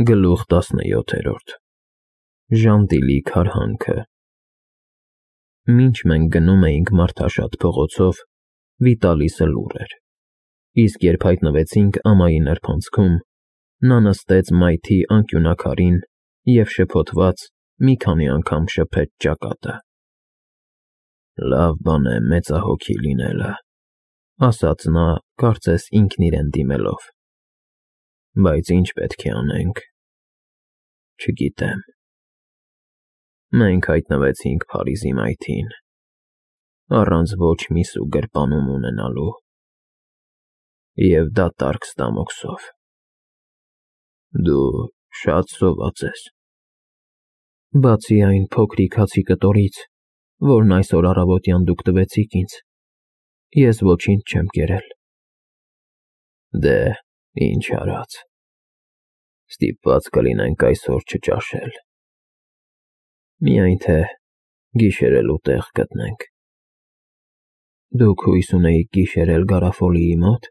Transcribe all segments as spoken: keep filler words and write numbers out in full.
Գլուխ տասնյոթերորդ Ժանտիլի քարհանքը Մինչ մենք գնում էինք մարդաշատ փողոցով, Վիտալիսը լուռ էր, իսկ երբ հայտնվեցինք ամայի նրբանցքում, նա նստեց մայթի անկյունաքարին և շփոթված մի քանի անգամ շփեց ճակատը։ «Լավ բան է մեծահոգի լինելը», ասաց նա, կարծես ինքն իրեն դիմելով, «բայց ի՞նչ պետք է անենք»։ Չգիտեմ։ Մենք հայտնվեցինք Փարիզի մայթին, առանց ոչ մի սու գրպանում ունենալու, և դատարկ ստամոքսով։ Դու շատ սոված ես։ Բացի այն փոքրիկ հացի կտորից, որն այսօր առավոտյան դուք տվեցիք ինձ, ես ոչինչ չեմ կերել։ Դե, ինչ արած։ Ստիպված կլինենք այսօր չճաշել։ Միայն թե գիշերելու տեղ գտնենք։ Դուք հույս ունեիք գիշերել Գարաֆոլիի մոտ։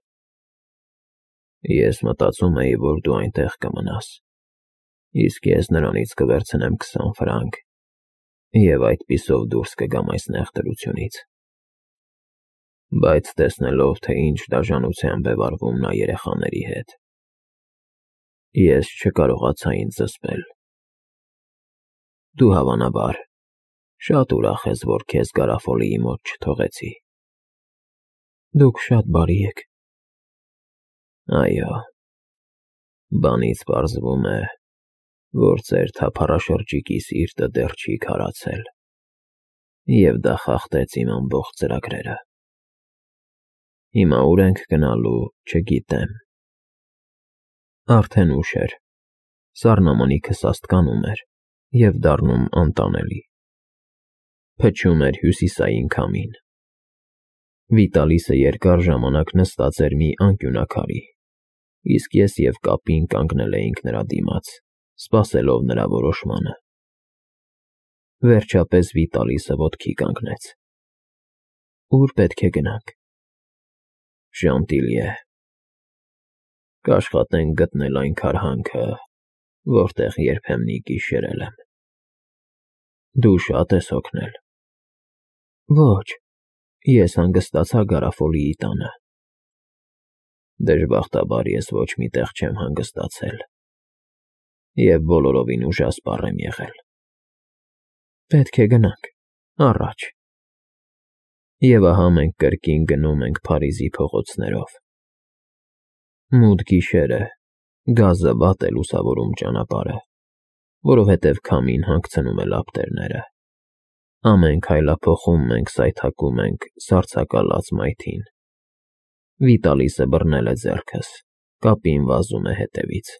Ես մտածում էի, որ դու այնտեղ կմնաս, իսկ ես նրանից կվերցնեմ քսան ֆրանկ և այդպիսով դուրս կգամ այս նեղ դրությունից։ Բայց տեսնելով, թե ինչ դաժանությամբ է վարվում նա երեխաների հետ, ես չկարողացա ինձ զսպել։ Դու, հավանաբար, շատ ուրախ ես, որ քեզ Գարաֆոլիի մոտ չթողեցի։ Դուք շատ բարի եք։ Այո, բանից պարզվում է, որ ձեր թափառաշրջիկի սիրտը դեռ չի քարացել, և դա խախտեց իմ ամբողջ ծրագրերը։ Հիմա ուր ենք գնալու, չգիտեմ։ Արդեն ուշ էր, սառնամանիքը սաստկանում էր և դառնում անտանելի։ Փչում էր հյուսիսային քամին։ Վիտալիսը երկար ժամանակ նստած էր մի անկյունաքարի, իսկ ես և կապին կանգնել էինք նրա դիմաց, սպասելով նրա որոշմանը։ Վերջապես Վիտալիսը ոտքի կանգնեց։ Ո՞ւր պետք է գնանք։ Ժանտիլիե։ Կաշխատենք գտնել այն քարհանքը, որտեղ երբեմնի գիշերել եմ։ Դու շատ ես հոգնել։ Ոչ, ես հանգստացա Գարաֆոլիի տանը։ Դժբախտաբար ես ոչ մի տեղ չեմ հանգստացել և բոլորովին ուժասպառ եմ եղել։ Պետք է գնանք, առաջ։ Եվ ահա մենք կրկին գնում ենք Փարիզի փողոցներով։ Մութ գիշերը, գազը վատ է լուսավորում ճանապարհը, որովհետև քամին հանգցնում է լապտերները։ Ամեն քայլափոխում մենք սայթաքում ենք սառցակալած մայթին։ Վիտալիսը բռնել է ձեռքս, կապին վազում է հետևից։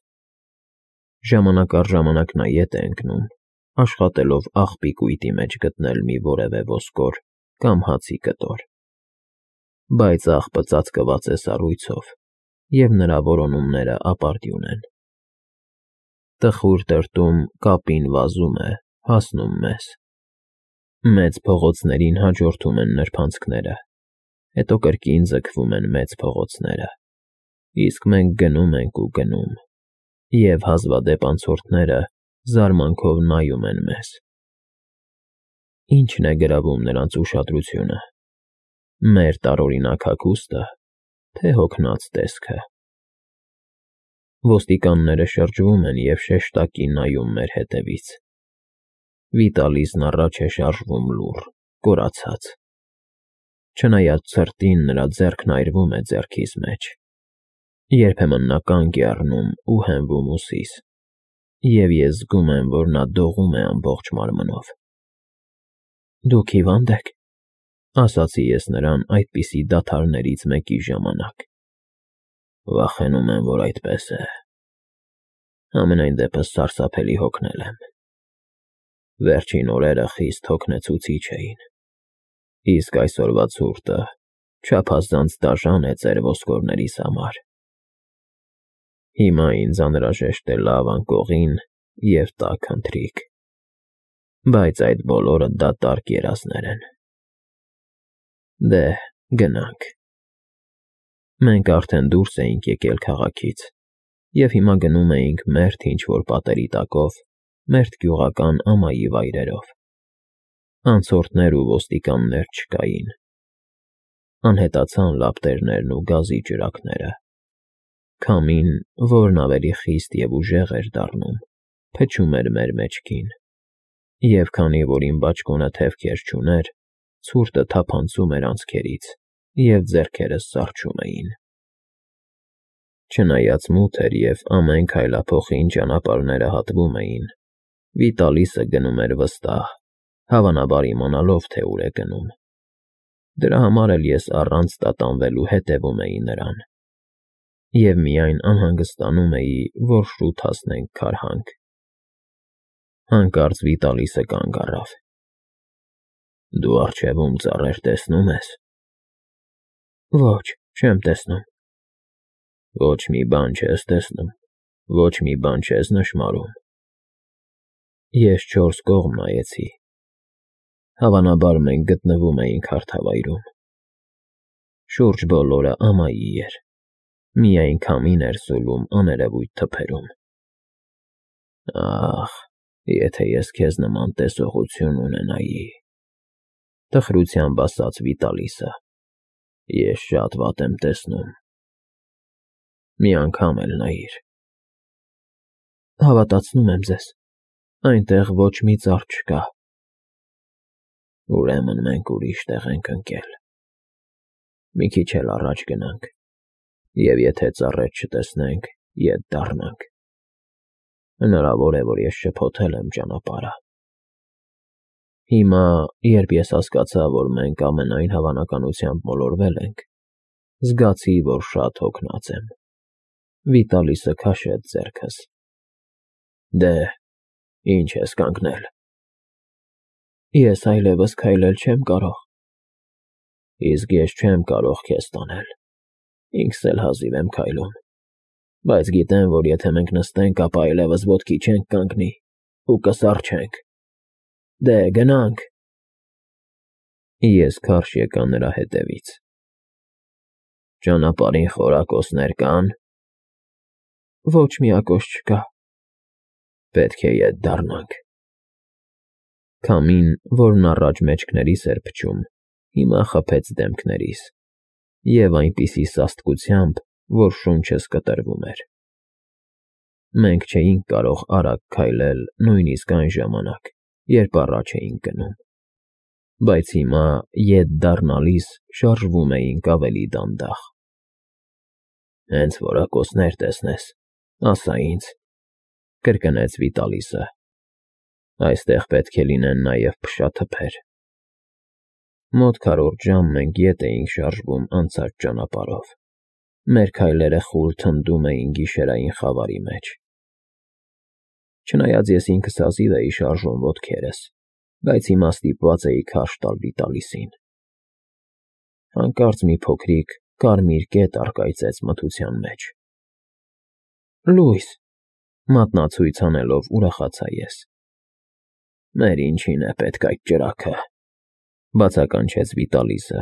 Ժամանակ առ ժամանակ նա ետ է ընկնում, աշխատելով աղբի կույտի մեջ գտնել մի որևէ ոսկոր կամ հացի կտոր։ Բայց աղբը ծածկված է սառույցով, և նրա որոնումները ապարդյուն են։ Տխուր տրտում կապին վազում է, հասնում մեզ։ Մեծ փողոցներին հաջորդում են նրբանցքները, հետո կրկին ձգվում են մեծ փողոցները, իսկ մենք գնում ենք ու գնում, և հազվադեպ անցորդները զարմանքով նայում են մեզ։ Ի՞նչն է գրավում նրանց ուշադրությունը, մեր տարօրինակ հագուստը, թե հոգնած տեսքը։ Ոստիկանները շրջվում են և շեշտակի նայում մեր հետևից։ Վիտալիսն առաջ է շարժվում լուռ, կորացած։ Չնայած ցրտին, նրա ձեռքն այրվում է ձեռքիս մեջ։ Երբեմն նա կանգ է առնում ու հենվում ուսիս, և ես զգում եմ, որ նա դողում է ամբողջ մարմնով։ Դուք հիվա՞նդ եք, ասացի ես նրան այդպիսի դադարներից մեկի ժամանակ։ Վախենում եմ, որ այդպես է։ Համենայն դեպս սարսափելի հոգնել եմ։ Վերջին օրերը խիստ հոգնեցուցիչ էին, իսկ այսօրվա ցուրտը չափազանց դաժան է ձեր ոսկորներիս համար։ Հիմա ինձ անհրաժեշտ է լավ անկողին և տաք ընթրիք, բայց այդ բոլորը դատարկ երազներ են։ Դե, գնանք։ Մենք արդեն դուրս էինք եկել քաղաքից, և հիմա գնում էինք մերթ ինչ-որ պատերի տակով, մերթ գյուղական ամայի վայրերով. անցորդներ ու ոստիկաններ չկային. անհետացան լապտերներն ու գազի ջրակները. քամին, որն ավելի խիստ և ուժեղ էր դառնում, փչում էր մեր մեջքին, և քանի որ իմ բաճկոնը թևքեր չուներ, ցուրտը թափանցում էր անցքերից, և ձեռքերս սառչում էին. Չնայած մութ էր և ամեն քայլափոխին ճանապարհները հատվում էին, Վիտալիսը գնում էր վստահ, հավանաբար իմանալով, թե ուր է գնում. դրա համար էլ ես առանց տատանվելու հետևում էի նրան, և միայն անհանգստանում էի, որ շուտ հասնենք քարհանք. Հանկարծ Վիտալիսը կանգ առավ. «Դու առջևում ծառեր տեսնո՞ւմ ես»։ Ոչ, չեմ տեսնում։ Ոչ մի բան չես տեսնում, ոչ մի բան չես նշմարում։ Ես չորս կողմ նայեցի. հավանաբար մենք գտնվում էինք հարթավայրում. շուրջ բոլորը ամայի էր, միայն քամին էր սուլում աներևույթ թփերում։ Ախ, եթե ես քեզ նման տեսողություն ունենայի, տխրությամբ ասաց Վիտալիսը, ես շատ վատ եմ տեսնում։ Մի անգամ էլ նայիր։ Հավատացնում եմ ձեզ, այնտեղ ոչ մի ծառ չկա։ Ուրեմն մենք ուրիշ տեղ ենք ընկել։ Մի քիչ էլ առաջ գնանք, և եթե ծառեր չտեսնենք, ետ դառնանք։ Հնարավոր է, որ ես շփոթել եմ ճանապարհը։ Հիմա, երբ ես հասկացա, որ մենք ամենայն հավանականությամբ մոլորվել ենք, զգացի, որ շատ հոգնած եմ։ Վիտալիսը քաշեց ձեռքս. Դե, ինչ ես կանգնել։ Ես այլևս քայլել չեմ կարող։ Իսկ ես չեմ կարող քեզ տանել, ինքս էլ հազիվ եմ քայլում, բայց գիտեմ, որ եթե մենք նստենք, ապա այլևս ոտքի չենք կանգնի ու կսառչենք։ Դե, գնանք։ Ես քարշ եկա նրա հետևից։ Ճանապարհին խորակոցներ կա՞ն։ Ոչ մի ակոս չկա։ Պետք է ետ դառնանք։ Քամին, որն առաջ մեջքներիս էր փչում, հիմա խփեց դեմքներիս, և այնպիսի սաստկությամբ, որ շունչս կտրվում էր։ Մենք չէինք կարող արագ քայլել նույնիսկ այն ժամանակ, երբ առաջ էինք գնում, բայց հիմա ետ դառնալիս շարժվում էինք ավելի դանդաղ։ Հենց որակոցներ տեսնես, ասա ինձ, կրկնեց Վիտալիսը։ Այստեղ պետք է լինեն նաև փշաթփեր։ Մոտ քառորդ ժամ մենք ետ էինք շարժվում անցած ճանապարհով։ Մեր քայլերը խուլ թնդում էին գիշերային խավարի մեջ։ Չնայած ես ինքս հազիվ էի շարժում ոտքերս, բայց հիմա ստիպված էի քարշ տալ Վիտալիսին։ Հանկարծ մի փոքրիկ կարմիր կետ առկայծեց մթության մեջ։ Լույս, մատնացույց անելով ուրախացա ես։ Մեր ինչին է պետք այդ ճրագը, բացականչեց Վիտալիսը։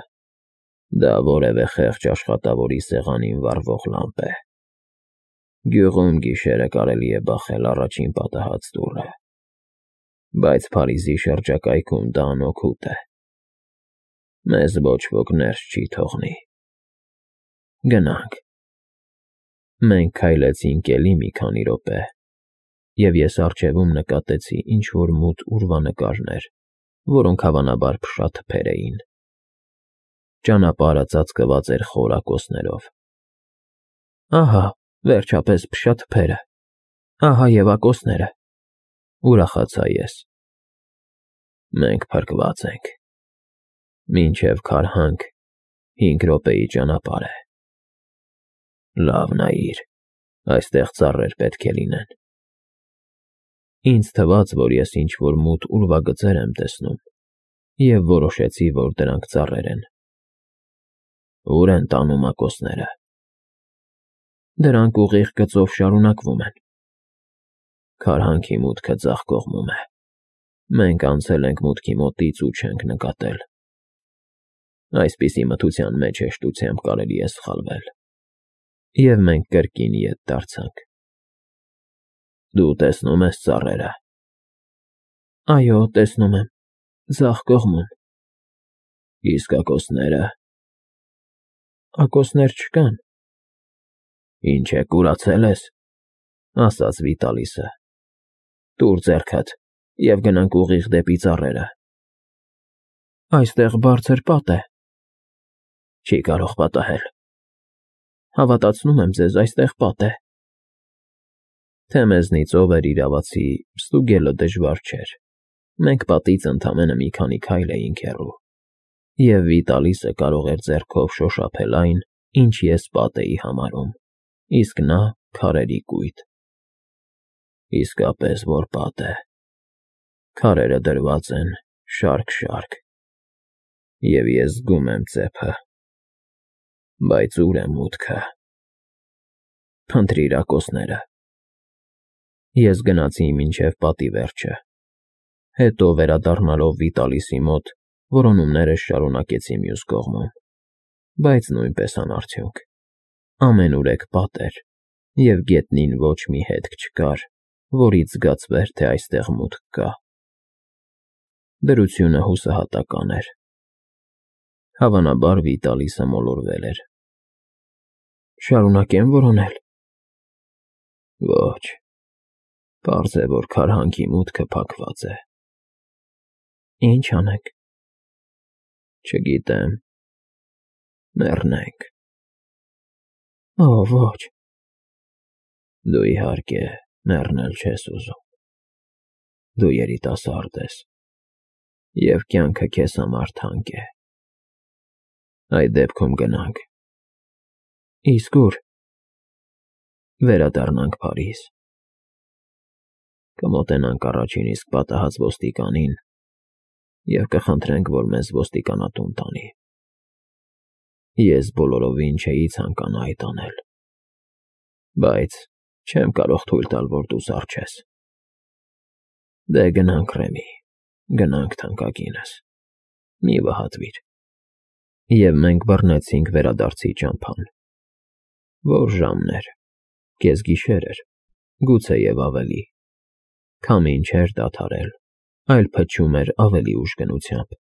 Դա որևէ խեղճ աշխատավորի սեղանին վառվող լամպ է։ Գյուղում գիշերը կարելի է բախել առաջին պատահած դուռը, բայց Փարիզի շրջակայքում դա անօգուտ է։ Մեզ ոչ ոք ներս չի թողնի։ Գնանք։ Մենք քայլեցինք էլի մի քանի րոպե, և ես առջևում նկատեցի ինչ-որ մութ ուրվանկարներ, որոնք հավանաբար փշաթփեր էին։ Ճանապարհը ծածկված էր խոր ակոսներով։ Ահա, վերջապես, փշաթփերը։ Ահա և ակոսները, ուրախացա ես։ Մենք փրկված ենք։ Մինչև քարհանք հինգ րոպեի ճանապարհ է։ Լավ նայիր, այստեղ ծառեր պետք է լինեն։ Ինձ թվաց, որ ես ինչ-որ մութ ուրվագծեր եմ տեսնում, և որոշեցի, որ դրանք ծառեր են։ Ո՞ւր են տանում ակոսները։ Դրանք ուղիղ գծով շարունակվում են։ Քարհանքի մուտքը ձախ կողմում է։ Մենք անցել ենք մուտքի մոտից ու չենք նկատել։ Այսպիսի մթության մեջ հեշտությամբ կարելի է սխալվել։ Եվ մենք կրկին ետ դարձանք։ Դու տեսնում ես ծառերը։ Այո, տեսնում եմ, ձախ կողմում։ Իսկ ակոսնե՞րը։ Ակոսներ չկան։ Ինչ է, կուրացել ես, ասաց Վիտալիսը։ Տուր ձեռքդ և գնանք ուղիղ դեպի ծառերը։ Այստեղ բարձր պատ է։ Չի կարող պատահել։ Հավատացնում եմ ձեզ, այստեղ պատ է։ Թե մեզնից ով էր իրավացի, ստուգելը դժվար չէր։ Մենք պատից ընդամենը մի քանի քայլ էինք հեռու, և Վիտալիսը կարող էր ձեռքով շոշափել այն, ինչ ես պատ էի համարում, իսկ նա քարերի կույտ։ Իսկապես որ պատ է։ Քարերը դրված են շարք֊շարք, և ես զգում եմ ծեփը։ Բայց ո՞ւր է մուտքը։ Փնտրիր ակոսները։ Ես գնացի մինչև պատի վերջը, հետո վերադառնալով Վիտալիսի մոտ, որոնումներս շարունակեցի մյուս կողմում, բայց նույնպես անարդյունք։ Ամենուրեք պատ էր, և գետնին ոչ մի հետք չկար, որից զգացվեր, թե այստեղ մուտք կա։ Դրությունը հուսահատական էր։ Հավանաբար Վիտալիսը մոլորվել էր։ Շարունակե՞մ որոնել։ Ոչ, պարզ է, որ քարհանքի մուտքը փակված է։ Ինչ անենք։ Չգիտեմ։ Մեռնենք։ Օ, ոչ։ Դու իհարկե մեռնել չես ուզում։ Դու երիտասարդ ես, և կյանքը քեզ համար թանկ է։ Այդ դեպքում գնանք։ Իսկ ո՞ւր։ Վերադառնանք Փարիզ։ Կմոտենանք առաջին իսկ պատահած ոստիկանին և կխնդրենք, որ մեզ ոստիկանատուն տանի։ Ես բոլորովին չէի ցանկանա այդ անել, բայց չեմ կարող թույլ տալ, որ դու զառչես։ Դե գնանք, Ռեմի, գնանք, թանկագինս, մի վհատվիր։ Եվ մենք բռնեցինք վերադարձի ճամփան։ Որ ժամն էր, կեսգիշեր էր, գուցեև ավելի։ Քամին չէր դադարել, այլ փչում էր ավելի ուժգնությամբ,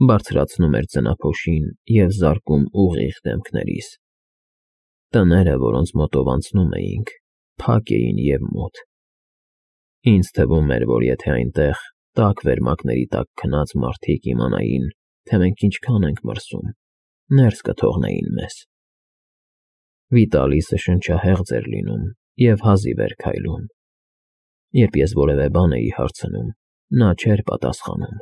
բարձրացնում էր ձնափոշին և զարկում ուղիղ դեմքներիս։ Տները, որոնց մոտով անցնում էինք, փակ էին և մութ։ Ինձ թվում էր, որ եթե այնտեղ, տաք վերմակների տակ քնած մարդիկ իմանային, թե մենք ինչքան ենք մրսում, ներս կթողնեին մեզ։ Վիտալիսը շնչահեղձ էր լինում և հազիվ էր քայլում։ Երբ ես որևէ բան էի հարցնում, նա չէր պատասխանում,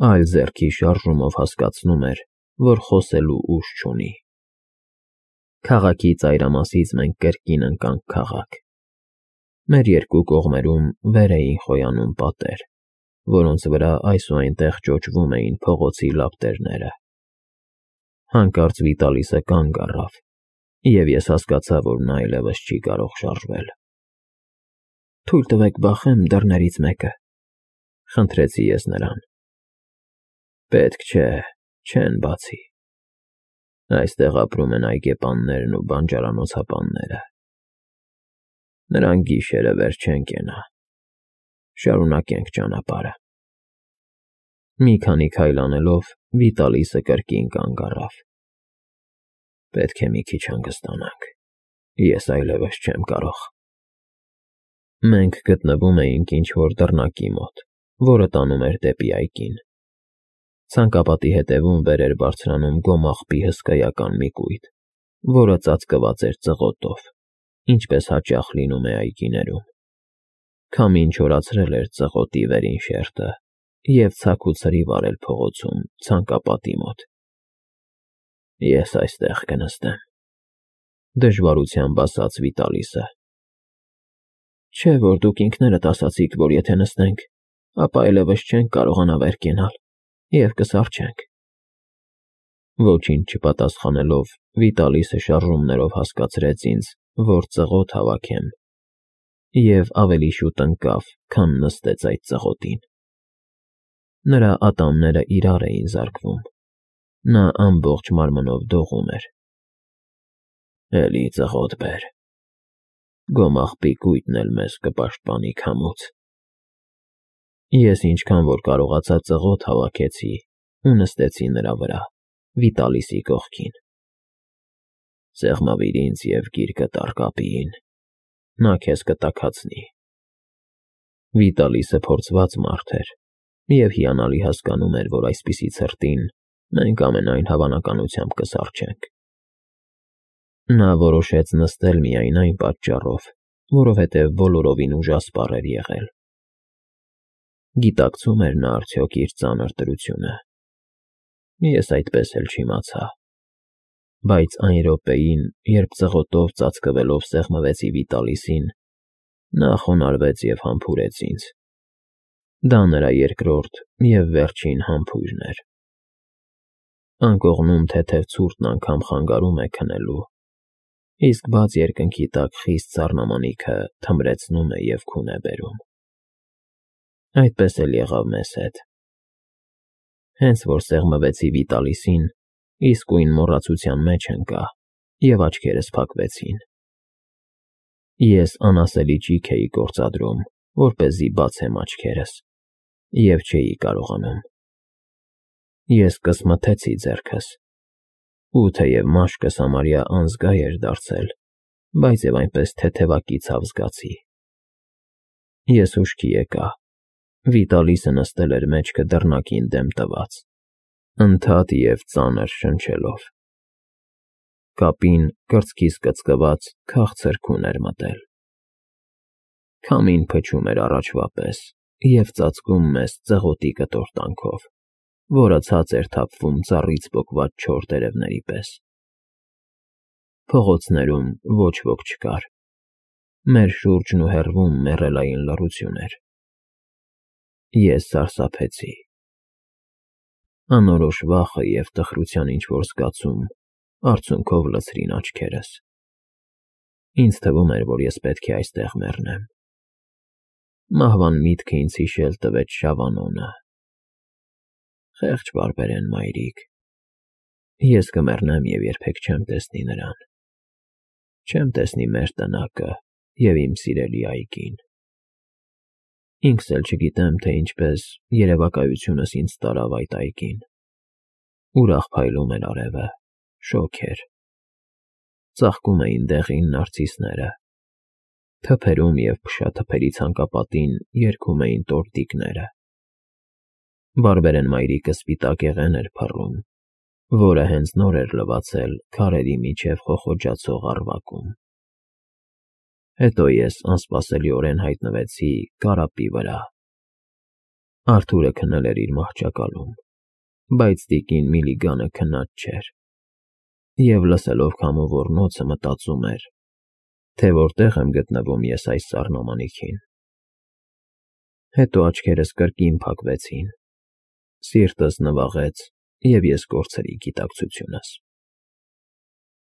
այլ ձեռքի շարժումով հասկացնում էր, որ խոսելու ուժ չունի։ Քաղաքի ծայրամասից մենք կրկին ընկանք քաղաք։ Մեր երկու կողմերում վեր էին խոյանում պատեր, որոնց վրա այս ու այնտեղ ճոճվում էին փողոցի լապտերները։ Հանկարծ Վիտալիսը կանգ առավ, և ես հասկացա, որ նա այլևս չի կարող շարժվել։ Թույլ տվեք բախեմ դռներից մեկը, խնդրեցի ես նրան։ Պետք չէ, չեն բացի։ Այստեղ ապրում են այգեպաններն ու բանջարանոցապանները։ Նրանք գիշերը վեր չեն կենա։ Շարունակենք ճանապարհը։ Մի քանի քայլ անելով Վիտալիսը կրկին կանգ առավ։ Պետք է մի քիչ հանգստանանք, ես այլևս չեմ կարող։ Մենք գտնվում էինք ինչ-որ դռնակի մոտ, որը տանում էր դեպի այգին։ Ցանկապատի հետևում վեր էր բարձրանում գոմաղբի հսկայական մի կույտ, որը ծածկված էր ծղոտով, ինչպես հաճախ լինում է այգիներում։ Քամին չորացրել էր ծղոտի վերին շերտը և ցաք ու ցրիվ արել փողոցում ցանկապատի մոտ։ Ես այստեղ կնստեմ, դժվարությամբ ասաց Վիտալիսը։ Չէ՞ որ դուք ինքներդ ասացիք, որ եթե նստենք, ապա այլևս չենք կարողանա վեր կենալ և կսառչենք։ Ոչինչ չպատասխանելով, Վիտալիսը շարժումներով հասկացրեց ինձ, որ ծղոտ հավաքեմ, և ավելի շուտ ընկավ, քան նստեց այդ ծղոտին։ Նրա ատամները իրար էին զարկվում։ Նա ամբողջ մարմնով դողում էր։ Էլի ծղոտ բեր։ գոմաղբի կույտն էլ մեզ կպաշտպանի քամուց։ Ես ինչքան որ կարողացա ծղոտ հավաքեցի ու նստեցի նրա վրա, Վիտալիսի կողքին։ Սեղմավիր ինձ և գիրկը տառկապիին, նա քեզ կտաքացնի։ Վիտալիսը փորձված մարդ էր և հիանալի հասկանում էր, որ այսպիսի ցրտին մենք ամենայն հավանականությամբ կսառչենք։ Նա որոշեց նստել միայն այն պատճառով, որովհետև բոլորովին ուժասպառ էր եղել։ Գիտակցում էր նա արդյոք իր ծանր դրությունը։ Ես այդպես էլ չիմացա։ Բայց այն րոպեին, երբ ծղոտով ծածկվելով սեղմվեցի Վիտալիսին, նա խոնարհվեց և համբուրեց ինձ։ Դա նրա երկրորդ և վերջին համբույրն էր։ Անկողնում թեթև ցուրտն անգամ խանգարում է քնելու, իսկ բաց երկնքի տակ խիստ սառնամանիքը թմրեցնում է և քուն է բերում։ Այդպես էլ եղավ մեզ հետ։ Հենց որ սեղմվեցի Վիտալիսին, իսկույն մոռացության մեջ ընկա և աչքերս փակվեցին։ Ես անասելի ճիգ էի գործադրում, որպեսզի բացեմ աչքերս, և չէի կարողանում։ Ես կսմթեցի ձեռքս, ու թեև մաշկս համարյա անզգա էր դարձել, բայց և այնպես թեթևակի ցավ զգացի։ Ես հուշքի եկա։ Վիտալիսը նստել էր մեջքը դռնակին դեմ տված, ընդհատ և ծանր շնչելով։ Կապին կրծքիս կծկված քաղցր քուն էր մտել։ Քամին փչում էր առաջվա պես և ծածկում մեզ ծղոտի կտորտանքով, որը ցած էր թափվում ծառից պոկված չոր տերևների պես։ Փողոցներում ոչ ոք չկար։ Մեր շուրջն ու հեռվում մեռելային լռություն էր։ Ես սարսափեցի։ Անորոշ վախը և տխրության ինչ֊որ զգացում արցունքով լցրին աչքերս։ Ինձ թվում էր, որ ես պետք է այստեղ մեռնեմ։ Մահվան միտքը ինձ հիշել տվեց Շավանոնը։ Խեղճ պարբերեն, մայրիկ, ես կմեռնեմ և երբեք չեմ տեսնի նրան, չեմ տեսնի մեր տնակը և իմ սիրելի այգին։ Ինքս էլ չգիտեմ, թե ինչպես երևակայությունս ինձ տարավ այդ այգին։ Ուրախ փայլում էր արևը, շոգ էր։ Ծաղկում էին դեղին նարցիսները, թփերում և փշաթփերի ցանկապատին երգում էին տորտիկները։ Բարբերեն մայրիկը սպիտակեղեն էր փռում, որը հենց նոր էր լվացել քարերի միջև խոխոջացող առվակում։ Հետո ես անսպասելիորեն հայտնվեցի կարապի վրա։ Արթուրը քնել էր իր մահճակալում, բայց տիկին Միլիգանը քնած չէր, և լսելով քամու ոռնոցը մտածում էր, թե որտեղ եմ գտնվում ես այս սառնամանիքին։ Հետո աչքերս կրկին փակվեցին, սիրտս նվաղեց, և ես կորցրի գիտակցությունս։